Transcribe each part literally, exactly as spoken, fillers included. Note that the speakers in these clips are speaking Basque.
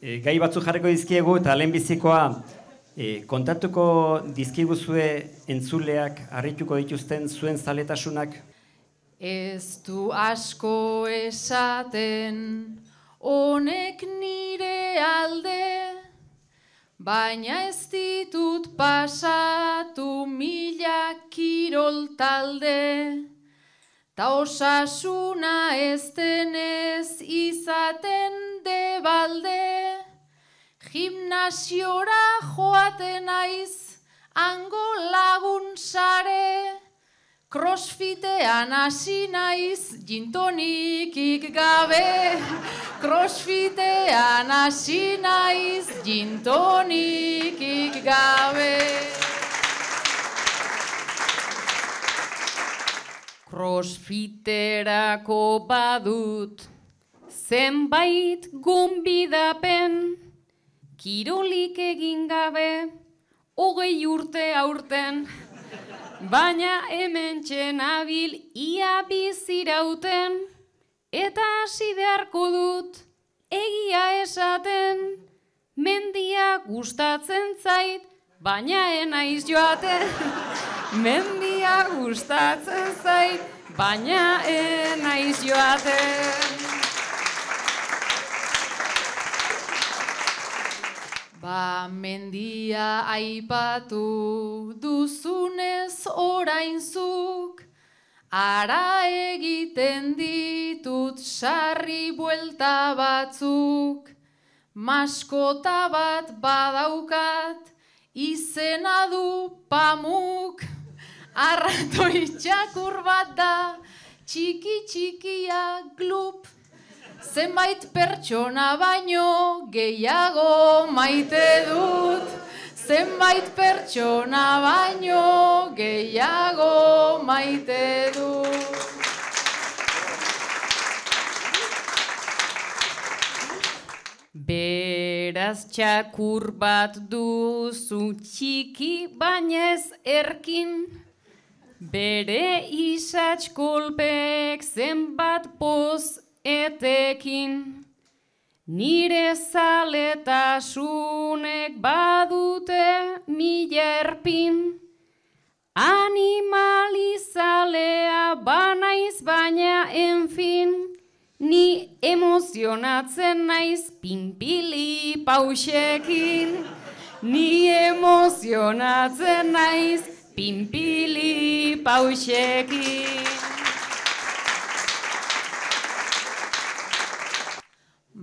E, gai batzu jarriko dizkiegu eta lehenbizikoa e, kontatuko dizkiguzue entzuleak harrituko dituzten zuen zaletasunak? Ez du asko esaten honek nire alde, baina ez ditut pasatu mila kirol talde, ta osasuna ez denez izaten debalde, gimnasiora joaten naiz hango lagun sare, crossfitean hasi naiz gintonikik gabe, crossfitean hasi naiz gintonikik gabe. Crossfiterako badut zenbait gonbidapen, kirolik egin gabe hogei urte aurten, baina hementxe nabil ia bizirauten, eta hasi beharko dut egia esaten, mendia gustatzen zait, baina enaiz joaten. Mendia gustatzen zait, baina enaiz joaten. Ba, mendia aipatu duzunez orainzuk, ara egiten ditut sarri buelta batzuk, maskota bat badaukat, izena du Pamuk, arratoi txakur bat da, txiki txikia Glup, zenbait pertsona baino gehiago maite dut, zenbait pertsona baino gehiago maite dut. Beraz txakur bat duzu txiki baina ez erkin, bere isats kolpek zenbat poz etekin, nire zaletasunek badute mila erpin, animalizalea banaiz baina enfin, ni emozionatzen naiz pinpili pausekin, ni emozionatzen naiz pinpili pausekin.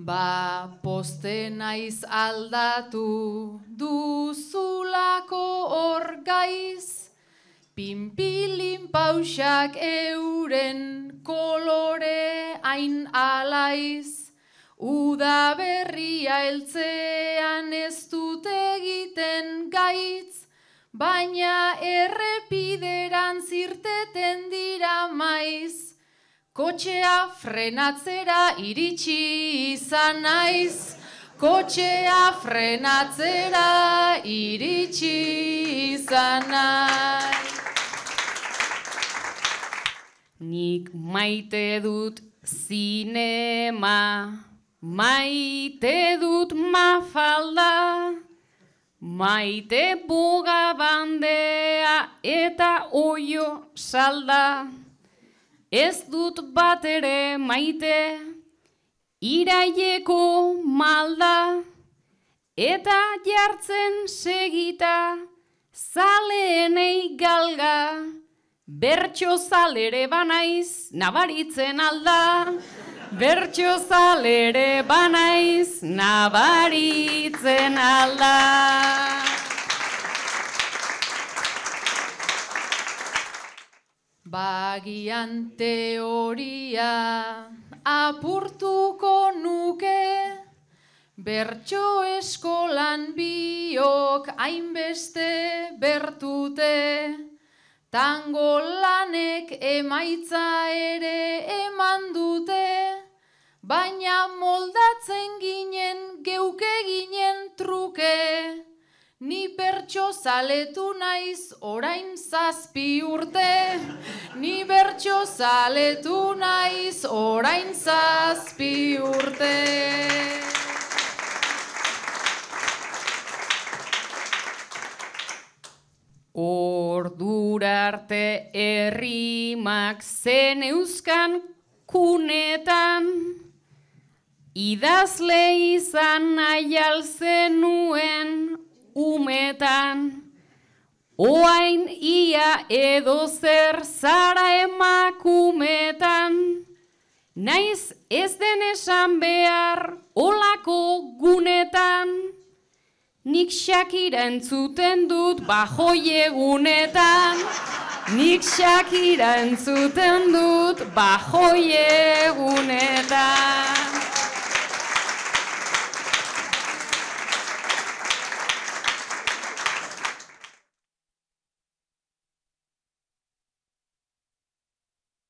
Ba, poste naiz aldatu duzulako hor gaiz, pinpilin pausak euren kolore hain alaiz, uda berria heltzean ez dut egiten gaitz, baina errepideran zirteten dira maiz, kotxea frenatzera iritsi izan naiz, kotxea frenatzera iritsi izan naiz. Nik maite dut zinema, maite dut Mafalda, maite boga bandea eta oio salda. Ez dut bat ere maite, iraieko malda, eta jartzen segita, zaleenei galga, bertso zalere banaiz, nabaritzen alda, bertso zalere banaiz, nabaritzen alda. Bagian teoria apurtuko nuke, bertso eskolan biok hainbeste bertute, tango lanek emaitza ere eman dute, baina moldatzen ginen geuke ginen truke, ni bertso zaletu naiz orain zazpi urte, ni bertso zaletu naiz orain zazpi urte. Ordurarte errimak zen euskan kunetan, idazle izan nahi alzenuen umetan, oain ia edo zer zara emakumetan, naiz ez den esan behar olako gunetan, nik Shakira entzuten dut bajoi egunetan, nik Shakira entzuten dut bajoi egunetan.